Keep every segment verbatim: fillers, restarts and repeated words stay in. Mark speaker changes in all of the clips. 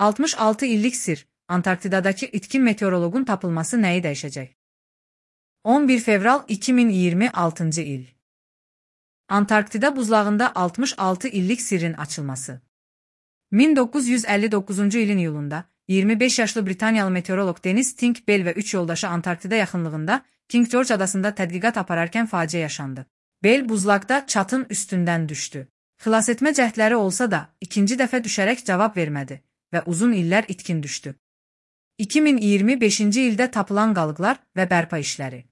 Speaker 1: altmış altı illik sir, Antarktidadakı itkin meteorologun tapılması nəyi dəyişəcək? on bir fevral iki min iyirmi altıncı il. Antarktida buzlağında altmış altı illik sirrin açılması. min doqquz yüz əlli doqquzuncu ilin iyulunda, iyirmi beş yaşlı Britaniyalı meteoroloq Denis Tink Bell və üç yoldaşı Antarktida yaxınlığında King George adasında tədqiqat apararkən faciə yaşandı. Bell buzlaqda çatın üstündən düşdü. Xilasetmə cəhdləri olsa da, ikinci dəfə düşərək cavab vermədi və uzun illər itkin düşdü. iki min iyirmi beşinci ildə tapılan qalıqlar və bərpa işləri.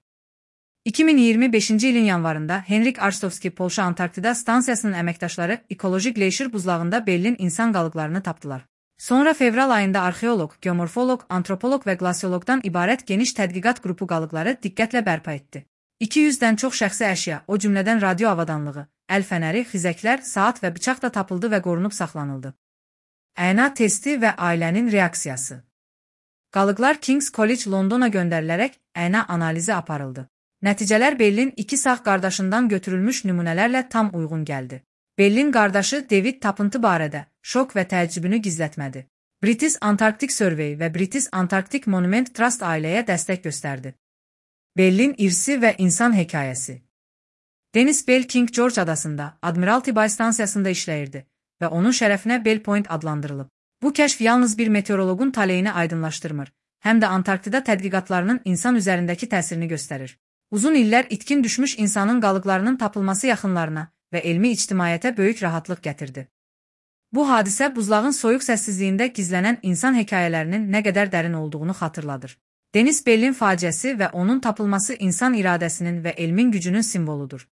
Speaker 1: iki min iyirmi beşinci ilin yanvarında Henrik Arstovski Polşa Antarktida stansiyasının əməkdaşları ekoloji qleyşir buzlağında Bellin insan qalıqlarını tapdılar. Sonra fevral ayında arxeoloq, geomorfoloq, antropoloq və qlasioloqdan ibarət geniş tədqiqat qrupu qalıqları diqqətlə bərpa etdi. iki yüzdən çox şəxsi əşya, o cümlədən radio avadanlığı, əl fənəri, xizəklər, saat və bıçaq da tapıldı və qorunub saxlanıldı. Əyna testi və ailənin reaksiyası. Qalıqlar King's College Londona göndərilərək əyna analizi aparıldı. Nəticələr Bellin iki sağ qardaşından götürülmüş nümunələrlə tam uyğun gəldi. Bellin qardaşı David tapıntı barədə şok və təəccübünü gizlətmədi. British Antarctic Survey və British Antarctic Monument Trust ailəyə dəstək göstərdi. Bellin irsi və insan hekayəsi. Denis Bell King George adasında Admiralty Bay stansiyasında işləyirdi və onun şərəfinə Bell Point adlandırılıb. Bu kəşf yalnız bir meteoroloqun taleyini aydınlaşdırmır, həm də Antarktida tədqiqatlarının insan üzərindəki təsirini göstərir. Uzun illər itkin düşmüş insanın qalıqlarının tapılması yaxınlarına və elmi ictimaiyyətə böyük rahatlıq gətirdi. Bu hadisə buzlağın soyuq səssizliyində gizlənən insan hekayələrinin nə qədər dərin olduğunu xatırladır. Denis Bellin faciəsi və onun tapılması insan iradəsinin və elmin gücünün simvoludur.